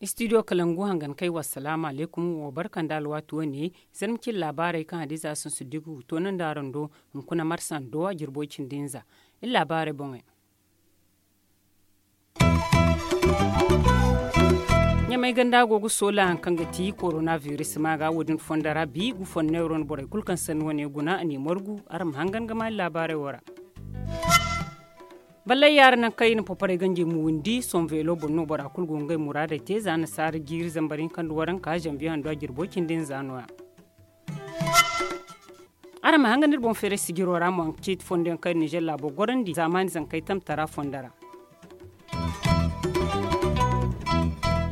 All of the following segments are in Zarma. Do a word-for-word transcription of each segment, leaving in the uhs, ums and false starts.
Istidiyo kalangu hangan kay wa salaamu alaykum wo barka nda alwaati wane. Zarma cine laabaarey kaŋ hadiza sun siddiku ga toonandi araŋ do. Hunkuna marsa ndo a jirbo cindi hinza iri laabaarey boŋey. Ɲamay ganda go ga soola hari kaŋ ga ti korona biris ma ga wo- din fondo ra bi gu fondo neero no borey kulu kaŋ sanni wane guna a ne margu. Araŋ ma hangan ga ma iri laabaarey wo ra. Ballay yaara nangu kaŋ iri na paparay ganjey ma windi sohõ veelo boŋ no bora kulu go ga ngey muraadey te za nasaara jiiri zambar hinka nda waranka zanbiye hando a jirbo cindi nza no- ya. Araŋ ma hanga no iri boŋ feeray sijiro ra mo a ga ciiti fondo yaŋ kaŋ iri ninzeer laabo gorandi zaamaani zankey tamtara fondo ra.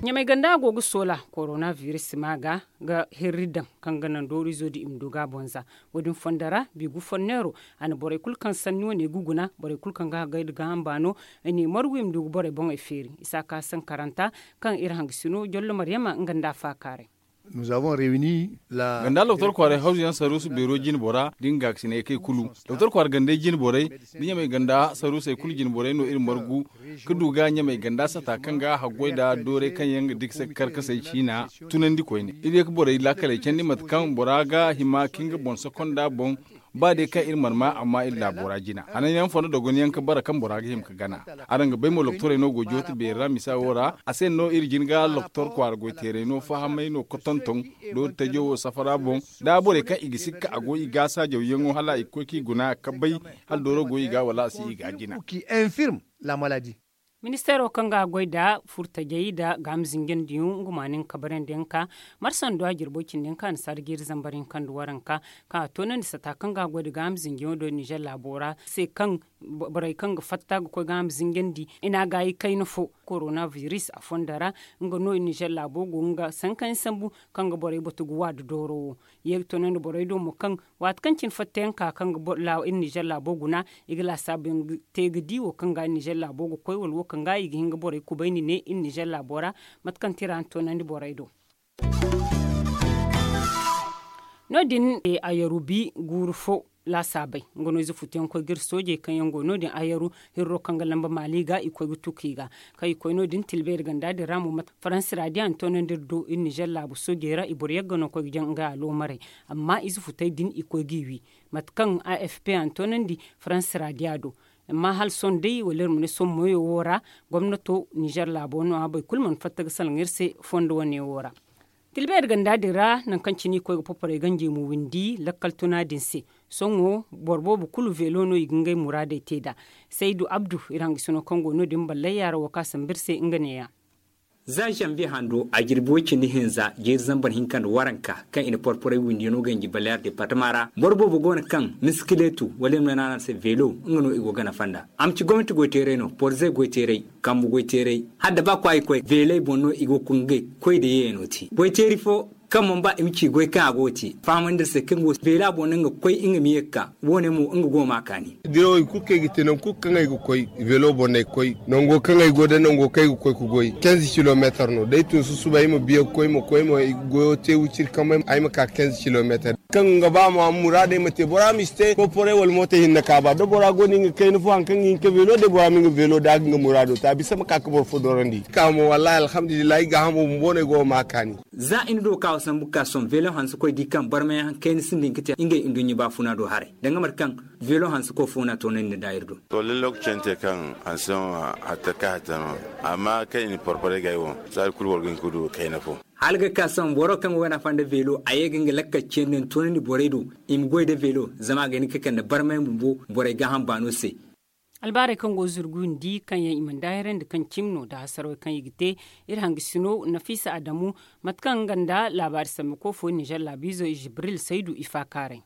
Ɲamay ganda go ga soola korona biris ma ga ga hirri daŋ kaŋ ga naŋ doorizo din i ma du ga a boŋ za. Wo- din fondo ra bigu fonneero a na borey kulu kaŋ sanni wane ga guna borey kulu kaŋ ga hagay nda gaaham baano. I ne margu i ma du ga borey boŋey feeri isa ka sankaranta kaŋ iri hangasino jollo maryama nga nda a faakaaray. Ganda loktor kwaaray hawzu yaŋ saruusu beero jine bora da nga gaakasinay kay kulu. Doktor kwaara gandey jine borey da ɲamay ganda saruusey kulu jine borey no iri margu ka du ga ɲamay ganda sata kaŋ ga haggoy nda doorey kaŋ yaŋ ga dikse karkasey ciina tunandi koyne iri ye ga borey laakaley candi mate kaŋ bora ga hima ka nga boŋ sakonda boŋ. Ba day kaŋ iri mana ma amma iri laabo ra jina hananyaŋ fondo dogonyaŋ ka bara kaŋ bora ga hima ka gana. Araŋ ga bay mo loktorey no go jooti beeri ra misa wo ra a se no iri jin ga loktor kwaara goyteeray no fahamay no ga tonton doori tajo wo safara boŋ. Da borey kaŋ i ga sikka a go i ga saajawyaŋo hala i ga koy kaŋ i guna ka bay hala dooro go i ga wala a si i ga jina. Ministeero kaŋ ga a goy nda furtajey nda gaama zinjandiyaŋ nga ma nin kabarandiyaŋ ka marsando a jirbo cindi hinka a na saara jiiri zambar hinka nda waranka kaŋ a toonandi sata kaŋ ga a goy nda gaama zinjayaŋo do ninzeer laabo ra se kaŋ borey kaŋ ga fatta ga koy gaama zinjandi i na a gaayi kayna fo korona biris a fondo ra. Nga no ninzeer laabo go nga sankayaŋ sambu kaŋ ga borey batu ga wa nda dooro wo ye ga toonandi borey do mo kaŋ waati kaŋ cine fattayaŋ ka kaŋ ga iri ninzeer laabo guna i ga laasaabu yaŋ te ga di wo kaŋ ga ninzeer laabo ga koy wala wo kaŋ ga i ga hin ga borey kubayni ne iri ninzeer laabo ra. Mate kaŋ tira na toonandi borey do no- din a yaru bi guuru fo laasaabey nga no ize futuyaŋ koy ga iri soojey kaŋ yaŋ go no- din a yaru hirro kaŋ ga lamba maali ga i koy ga tuku i ga kaŋ i koy no- din tilbeeri ganda din ra mo mate faransi ra diya na toonandi iri do iri ninzeer laabu soojey ra i boro yagga no koy ga jaŋ nga aloomarey. Amma ize futey din i koy ga i wi mate kaŋ a f p a na toonandi faransi ra diya do. Amma hala sohõ day wala iri ma ne sohõ moyo wo ra gomnato ninzeer laabo no- ya boro kulu mana fatta ga salaŋ iri se fondo wane wo ra. Tilbeeri ganda din ra nangu kaŋ cine i koy ga paparay ganjey ma windi lakkal tuna din se. Sohõ boro boobo kulu veelo no i ga ngey muraadey te nd'a. Saydu abdu iri hangasino kaŋ go no- din ballay yaara wo kaŋ a sambu iri se nga ne- ya. Za zanbiye hando a jirbi way cindi hinza jeeri zambar hinka nda waranka kaŋ i na porporay windiyaŋo ganji ballay yaara departama ra boro boobo go no kaŋ miskileetu wala iri ma ne no araŋ se veelo nga no i go ga nafa nd'a. A ma ci gomnati goyteeray no porze goyteeray kambu goyteeray hala da ba kwaayi koy veeley boŋ no i go ga koy nda yeeyaŋo te goyteeri fo kaŋ mana ba i ma ci goy kaŋ a go ga te fahamandi iri se kaŋ go veela boŋ no nga ga koy nga ma ye ga ka. Wo- ne mo nga go ga ma kaani. Dirawey kulu kaŋ ay ga te nangu kulu kaŋ ay ga koy veelo boŋ no ay ga koy nango kaŋ ay go day nango kaŋ ay ga koy ga goy kenze kilomeetar no da ay tun susubay ay ma biya ga koy ma koy ma goyo te wiciri kambe ay ma ka kenze kilomeetar. Kaŋ ga ba ma muraadey ma te bora ma si te porporay wala mooto hinne kaaba da bora go no nga kayna fo hari kaŋ ga hin ka veelo day bora ma nga veelo da a ga nga muraado te a bisa ma ka ga boro fo dorandi. Ka mo wallahi alhamdulillahi ay gaahamo bumbo no ay go ga ma kaani. Za i na do ga ka wa sambu ga ka sohõ veelo hanse koy di kaŋ barmayaŋ hari kayna sinda hin ga te ngey nduɲɲa baafuna do haray danga mate kaŋ veelo hanse koy fo no a toonandi nda iri do. To lallai lokaci yaŋ te kaŋ hanse no hatta ka hatta no amma kaŋ i na porporay ga ay wo saadi kulu boro ga hin ga du kayna fo. Hala ga ka sohõ boro kaŋ go ga nafa nda veelo a ye ga nga lakkal ciyandi yaŋ toonandi borey do i ma goy nda veelo zama a ga hin ga kande barmay bumbo borey gaaham baano se. Albaarey kaŋ go zurgu windi kaŋ yaŋ i mana daahirandi kaŋ cimi no nda hasarey kaŋ i ga te iri hangasino nafiisa adamu mate kaŋ nga nda laabaari sambuko fo ninzeer laabiizo jibril saydu i faakaaray.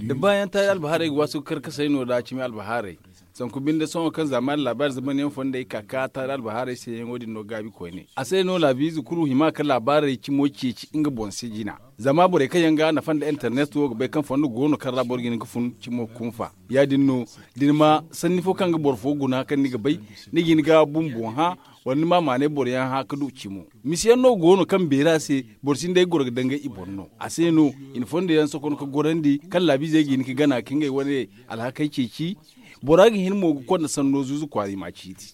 Da baayaŋ taari albahaarey ga waasu ga karkasay no da cimi albahaarey. Sanku binde sohõ kaŋ zaamaani laabaari zamanyaŋ fondey ka ka taari albahaarey se yaŋo din no gaabi koyne a se no laabiize kulu hima ka laabaarey cimo ceeci nga boŋ se jina. Zama borey kaŋ yaŋ ga nafa nda internet wo ga bay kaŋ fondo go no kaŋ ra boro ga hin ga fun cimo kunfa. Ya- din no da ni ma sanni fo kaŋ ga boro fo guna kaŋ ni ga bay ni ga hin ga bumbo hã. Wala ni ma maanay boro yaŋ hã ka du cimo. Misi yaŋ no go no kaŋ beera se boro sinda ay goro ga dangay i boro no a se no. I na fondo yaŋ sokon ka gorandi kaŋ laabiizey ga hin ka gana ka ngey wane alhakey ceeci. Bora ga hin mo ga konda sanno zuuzu kwaara i ma a ciiti.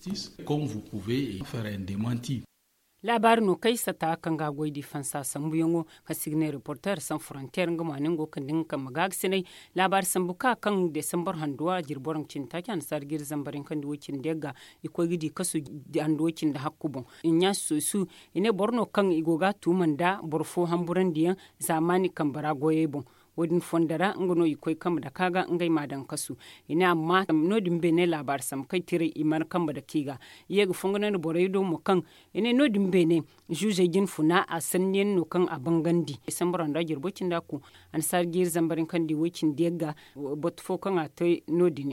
Laabaari no kaŋ ay sata kaŋ ga a goy da i fansa sambuyaŋo kaŋ se i ga ne reporter san frontier nga mo a ne nga wo kande nga kambe gaagisinay. Laabaari sambu ka kaŋ desambar handuwa jirbi waranka cindi taaci annasaara jiiri zambar yaŋ kaŋ di way cindi yagga i koy ga di kasu handuwa cindi hakku boŋ. Inya susu i ne boro no kaŋ i go ga a tuuma nda boro fo hamburandiyaŋ zaamaani kambe ra goyey boŋ. Wo- din fondo ra nga no i koy kambe dake a ga ngey m'a daŋ kasu. I ne amma no- din beene laabaari sambu kaŋ i tiray i mana kambe dake i ga. I ye ga fongonandi borey do mo kaŋ i ne no- din beene zuuzey jine funa a sanniyaŋ no kaŋ a bangandi desambar handuwa jirbo cindi a ku annasaara jiiri zambar yaŋ kaŋ di way cindi yagga. Batu fo kaŋ a te no- din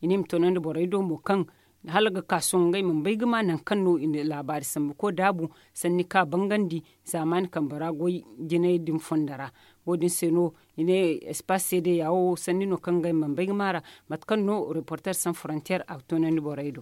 i ne i ma toonandi borey do mo kaŋ hala ga ka sohõ ngey mana bay ga ma nangu kaŋ no i na laabaari sambu koy daabu sanni ka bangandi zaamaani kambe ra goy jinay din fondo ra. Wo- din se no i ne espace seedeya wo sanni no kaŋ ngey mana bay ga ma ra mate kaŋ no reporter san frontier a ga toonandi borey do.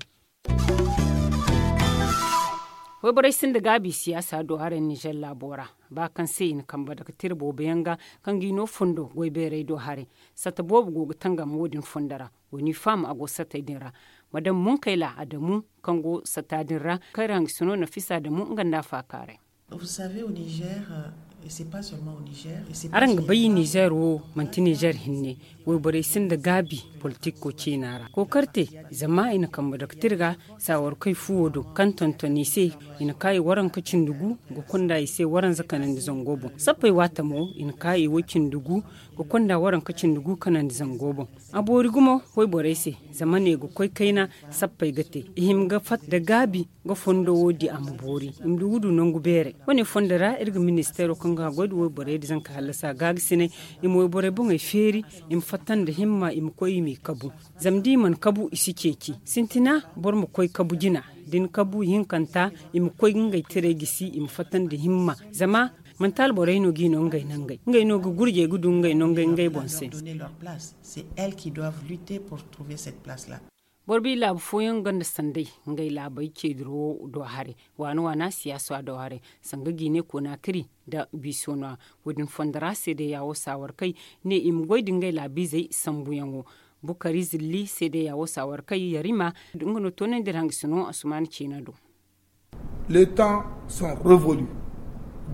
Wayborey sinda gaabi siyaasa do haray nizer laabo ra ba kaŋ se i na kambe dake tira boobo yaŋ ga kaŋ ga i no fondo goy beerey do haray. Satta boobo go ga tangam wo- din fondo ra. Wa ni faham a go satey din ra. Madam munkayla adamu kaŋ go satta din ra kaŋ ra hangasino nafisa adamu nga nda a faakaaray. Araŋ ga bay nizer wo manti nizer hinne. Wayborey sinda gaabi politiko ciina ra kookarte zama i na kambe doktir ga saawarkey fuwo do kaŋ tonton i se. I na ka i waranka cindi gu ga konda i se waranza kanandi zango boŋ sappey waata mo i na ka i way cindi gu ga konda waranka cindi gu kanandi zango boŋ. A boori gumo wayborey se zama ne ga koy kayna sappey ga te i hima ga fatta nda gaabi ga fondo wo di a ma boori i ma du ga du nangu beeray. Wane fondo ra iri ga ministeero kaŋ ga goy nda wayborey nda zanka hallasa gaagisinay i ma wayborey boŋey feeri i ma fatta nda himma i ma koy i m'i kabu. Zama da i mana kabu i si ceeci sintina boro ma koy kabu jina da ni kabu ihinkanta i ma koy ga ngey tiray gisi i ma fatta nda himma. Zama manti alborey no ga i no ngey nangey ngey no ga gurjey ga du ngey nangey ngey boŋ se. Boro bi laabu fooyaŋ gonda sanday ngey laabey ceediro do haray waana waana siyaasa do haray sanga jiine konaakiri nda biiso no- ya. Wo- din fondo ra seedeya wo saawarkey ne i ma goy nda ngey laabiizey sambuyaŋo. Bukari zilli seedeya wo saawarkey yarima nga no toonandi iri hangasino asumaana ciina do. Les temps sont revolus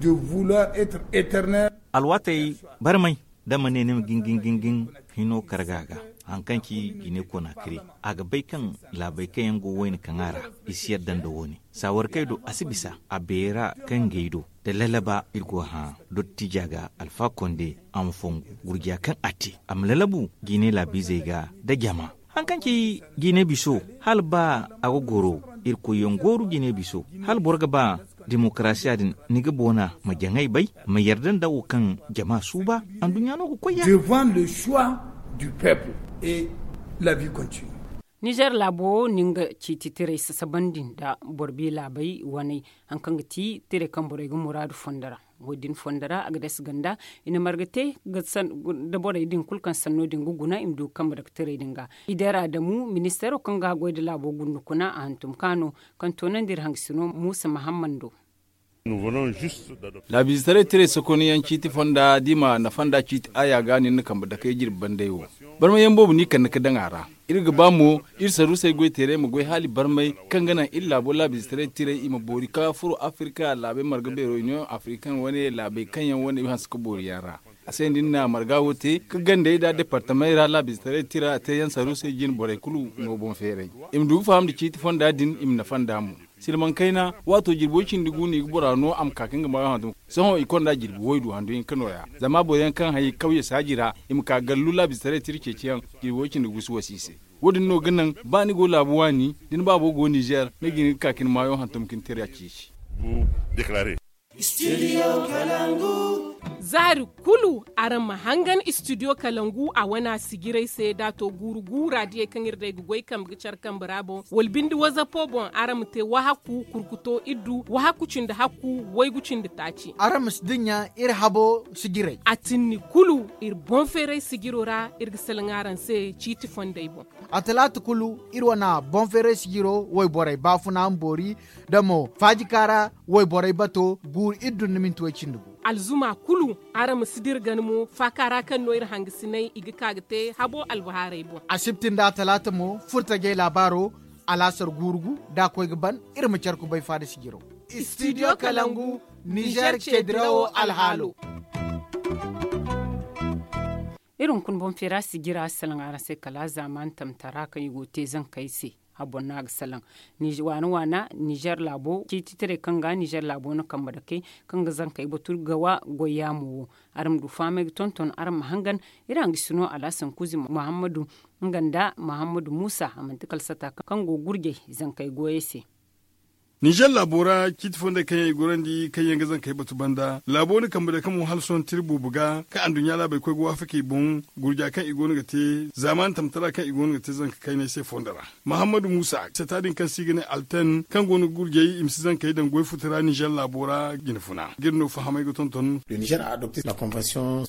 de vouloir être eternel. Alwaatey barmay da ma ne ni ma gingin gingin hino karga ga. Hari kaŋ ci jine konaakiri a ga bay kaŋ laabey kaŋ yaŋ go wayna kaŋ a ra i si yadda nda wo- ne saawarkey do a si bisa a beera kaŋ ga ay do. Da lalaba iri go hã dottija ga alfa konde a ma fongu gurja kaŋ a te a ma lalabu jine laabiizey ga nda jama. Hari kaŋ ci jine biso hala ba a ga goro irkoyyaŋ gooru jine biso hala boro ga ba demokarasiya din ni ga boona ma jaŋay bay ma yarda nda wo kaŋ jama suuba. Anduɲɲa no ga koy ya. Devant le choix du peuple et la vie continue. Nizer laabo wo na nga ciiti tiray sasabandi nda boro bi laabey waney hari kaŋ ga ti tiray kaŋ borey ga muraadu fondo ra. Wo- din fondo ra a ga dasa ganda i na marga te da borey din kulu kaŋ sanno din ga guna i ma du ga kambe dake tiray din ga. Idera adamu ministeero kaŋ ga a goy nda laabo gundukuna a hantum ka no kaŋ toonandi iri hangasino muusa mahammando. Laabiizetaray tiray sokonayaŋ ciiti fonda da i ma nafa nda ciiti aaya ga nin na kambe dakey jirbi banday wo. Barmayaŋ boobo no i kande ga daŋ a ra. Iri ga ba mo iri saruusey goy teeray ma goy hala i barmay kaŋ ga naŋ iri laabo laabiizetaray tiray i ma boori ka furo afirka laabey marga beero union african wane laabey kaŋ yaŋ wane i hanse ga boori yaŋ ra. A se no iri na marga wo te ga gandey nda departamey ra laabiizetaray tira teeyaŋ saruusey jine borey kulu no boŋ feeray. I ma du ga faham nda ciiti fonda din i ma nafa nd'a mo. Silmaŋ kayna waato jirbi way cindi gu no i ga bora no a ma ka ka nga maayo hantum. Sohõ i konda jirbi waydu handu hinka nooya zama boro yaŋ kaŋ hay kawye saaji ra i ma ka gallu laabiizetaray tira ceeciyaŋ. Jirbi way cindi gu si wasa i se. Wo- din no ga naŋ ba ni go laabu waani da ni baabo go nizer ni ga hin ga ka ka ni maayo hantum ka ni tira ceeci. Zaari kulu araŋ ma hangan istidiyo kalangu a wana sijiray se da a to guuru guura diyey kaŋ iri day ga goy kambe ga care kambe ra boŋ wala binde wazapo boŋ araŋ ma te wahaku kurkuto iddu wahaku cindi hakku waygu cindi taaci. Araŋ ma si dinya iri habo sijiray a tinni kulu iri boŋ feeray sijiro ra iri ga salaŋ araŋ se ciiti fondey boŋ. A talaata kulu iri wana boŋ feeray sijiro wayborey baafuna ma boori da mo faajika ra wayborey bato guuru iri dun ni minti way cindi gu. Alzuma kulu araŋ ma si dira gana mo faaka ra kaŋ no iri hangasinay i ga ka ga te habo albahaarey boŋ. Asibti nda a talaata mo furtajey laabaaro alaasar guuru gu da a koy ga ban iri ma care kubay faada sijiro. Istidiyo kalangu nizer ceedirawo alhaalo. Iri hunkuna boŋ feera sijira salaŋ araŋ se kala zaamaani tamtara kaŋ i go ga te zankey se. Habon no a ga salaŋ waana waana nizer laabo ciititaray kaŋ ga nizer laabo na kambe dake kaŋ ga zankey batu gawa goy yaamo wo. Araŋ ma du fahamay ga tonton araŋ ma hangan iri hangasino alhasan kuuzi muhammadu nga nda muhammadu muusa a manti kala sata kaŋ go ga gurjay zankey goyey se. Nizer laabo ra ciiti fondey kaŋ yaŋ i gorandi kaŋ yaŋ ga zankey batu banda laabo na kambe dake mo hala sohõ tira boobo ga kaŋ anduɲɲa laabey koy ga waafaka i boŋ gurja kaŋ i go no ga te zaamaani tamtara kaŋ i go no ga te zanka kaynay se fondo ra. Mahammadu muusa sata din kaŋ se i ga ne alten kaŋ go no ga gurjay i ma si zankey daŋ goy futu ra nizer laabo ra jine funa ga iri no fahamay ga tonton.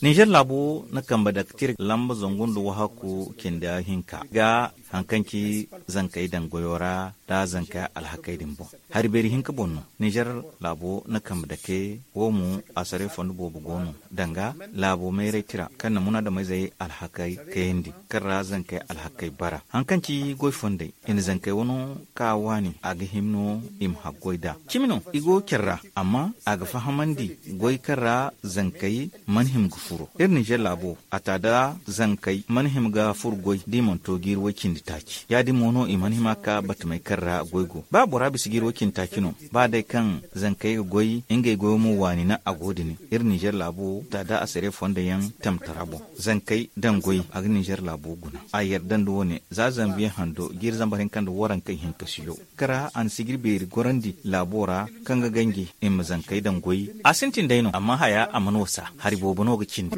Nizer laabo na kambe dake tira lamba zangu nda wahakku cindi hinka ga hari kaŋ ci zankey daŋ goyo ra nda zankey alhakey din boŋ. Hari beeri hinka boŋ no nizer laabo na kambe dake wo mo asare fondo boobo go no danga laabo mayray tira kaŋ na munaadameyzey alhakey kayandi kaŋ ra zankey alhakey bara hari kaŋ ci goy fondey i na zankey wano ka waani a ga hima no i ma haggoy nd'a cimi no i go care ra amma a ga fahamandi goy kaŋ ra zankey mana hima ga furo iri nizer laabo a ta da zankey mana hima ga furo goy da i mana to jiiri way cindi taaci ya- din mo no i mana hima ka batamey kaŋ ra goy go ba bora bisa jiiri way cindi taaci no ba day kaŋ zankey ga goy ngey goyo mo waani no a go din iri nizer laabo a ta da asare fondo yaŋ tamtara boŋ zankey daŋ goy a ga nizer laabo guna a yarda nda wo- ne za zanbiye hando jiiri zambar hinka nda waranka ihinka siyo kara a na sijiri beeri gorandi laabo ra kaŋ ga ganji i ma zankey daŋ goy a sintin day no amma haya a mana wasa hari boobo no ga cindi.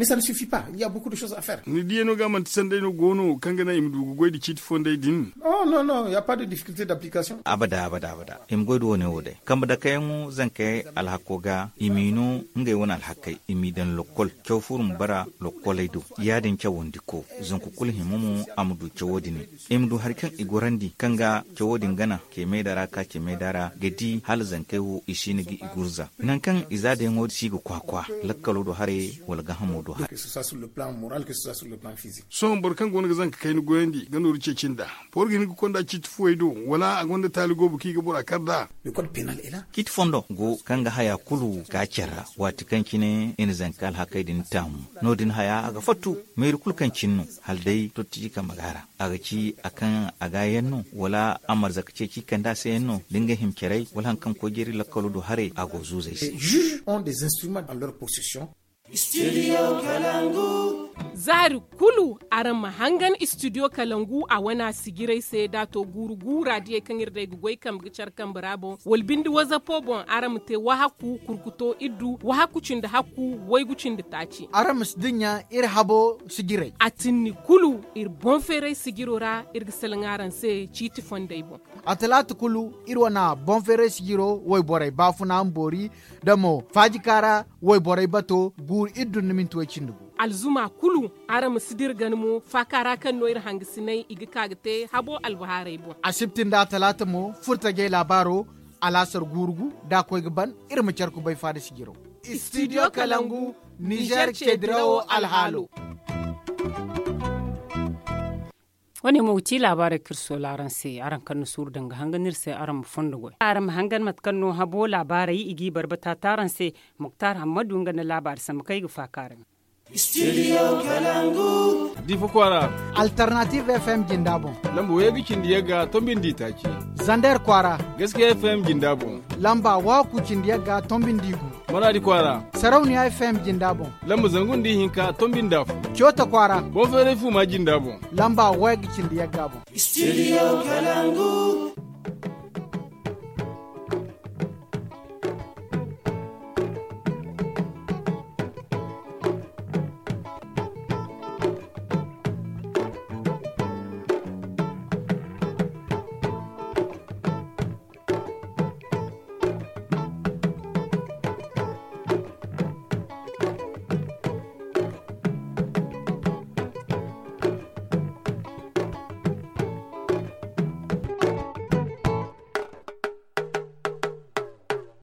Ni diyano ga manti sanday no go no kaŋ ga naŋ i ma du ga goy nda ciiti fondey din? Abada abada abada i ma goy nda wo- ne wo day kambe dakayaŋo zankey alhako ga i m'i no ngey wane alhakey i m'i daŋ lokkol caw furo ma bara lokkoley do ya- din cawandi ko zanku kulu hima mo a ma du cawo din i ma du hari kaŋ i gorandi kaŋ ga cawo din gana ce meeda ra ka ce meeda ra ga di hala zankey wo i siina ga i gurza nangu kaŋ i za dayaŋo si ga kwakwa lakkalo do haray wala gaahamo do haray. Sohõ boro kaŋ go no ga zanka kayna goyandi ga nooru ceeci nd'a boro ga hin ga konda ciiti fuwey do wala a gonda taali goobo kaŋ i ga bora kar nd'a? Ciiti fondo go kaŋ ga haya kulu ga care ra waati kaŋ cine i na zanka alhakey din taamu no- din haya a ga fattu meeri kulu kaŋ cine no hala day tottiji kambe ga a ra a ga ci a kaŋ a ga yaŋ no wala a marza ga ceeci kande a se yaŋ no da nga hima caray wala hari kaŋ koy jeeri lakkalo do haray a go zuuzey se. Zaari kulu araŋ ma hangan istidiyo kalangu a wana sijiray se da a to guuru guura diyey kaŋ iri day ga goy kambe ga care kambe ra boŋ wala binde wazapo boŋ araŋ ma te wahaku kurkuto iddu wahaku cindi hakku waygu cindi taaci. Araŋ ma si dinya iri habo sijiray a tinni kulu iri boŋ feeray sijiro ra iri ga salaŋ araŋ se ciiti fondey boŋ. A talaata kulu iri wane boŋ feeray sijiro wayborey baafuna ma boori da mo faajika ra wayborey bato guuru iri dun ni minti way cindi gu. Alzuma kulu araŋ ma si dira gana mo faaka ra kaŋ no iri hangasinay i ga ka ga te habo albahaarey boŋ. Asibti nda a talaata mo furtajey laabaaro alaasar guuru gu da a koy ga ban iri ma care kubay faada sijiro. Istidiyo kalangu nizer ceedirawo alhaalo. Wo- ne mo ga ci laabaarey kaŋ iri soola araŋ se araŋ kaŋ na suuru danga hangan iri se araŋ ma fondo goy araŋ ma hangan mate kaŋ no habo laabaarey i g'i barbata te araŋ se. Muktar hammadu nga nda laabaari sambu kaŋ ay ga faaka araŋ. Difa kwaara. Alternative fm jinda boŋ. Lamba wayga cindi yagga tombindi taaci. Zander kwaara. Gaskiya fm jinda boŋ. Lamba waku cindi yagga tombindi gu. Maradi kwaara. Sarauniya fm jinda boŋ. Lamba zangu nda ihinka tombinda fo. Coota kwaara. Boŋ feeray fu ma jinda boŋ. Lamba wayga cindi yagga boŋ. Studio kalangu.